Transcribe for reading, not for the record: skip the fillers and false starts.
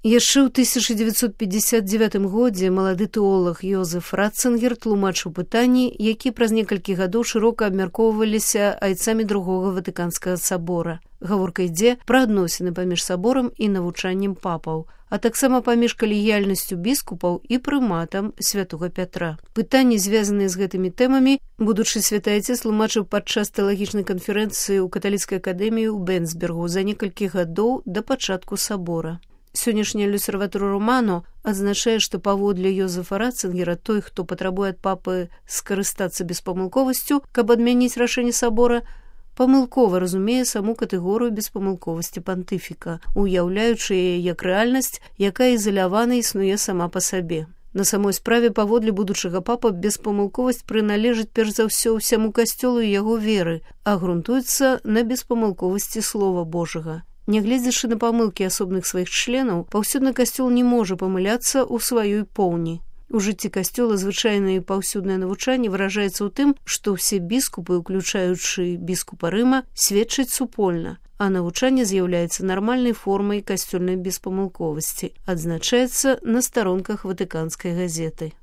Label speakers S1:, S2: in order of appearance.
S1: Яшчэ ў 1959 годзе малады тэолог Йозеф Ратцингер тлумачыў пытанні, які праз некалькі гадоў шырока абмяркоўваліся айцамі другога Ватыканскага сабора. Гаворка ідзе пра адносіны паміж саборам і навучаннем папаў, а таксама паміж калегіяльнасцю біскупаў і прыматам святога Пятра. Пытанні, звязаныя з гэтымі тэмамі, будучы святы айцец тлумачыў падчас тэалагічнай канферэнцыі ў каталіцкай акадэміі ў Бенсбергу за некалькі гадоў да пачатку сабора. Сённяшняя L'Osservatore Romano адзначае, што паводле Йозефа Ратцингера той, хто патрабуе ад папы скарыстацца беспамылковасцю, каб адмяніць рашэнне сабора, памылкова разумее саму катэгорыю беспамылковасці пантыфіка, уяўляючы яе як рэальнасць, якая ізалявана існуе сама па сабе. На самой справе, паводле будучага папа, беспамылковасць прыналежыць перш за ўсё ўсяму касцёлу і яго веры, а грунтуецца на беспамылковасці Слова Божага. Нягледзячы на памылкі асобных сваіх членаў, паўсюдны касцёл не можа памыляцца ў сваёй поўні. У жыцці касцёла звычайнае і паўсюднае навучанне выражаецца ў тым, што ўсе біскупы, уключаючы біскупа Рыма, сведчаць супольна, а навучанне з'яўляецца нармальнай формай касцёльнай беспамылковасці, адзначаецца на старонках Ватыканскай газеты.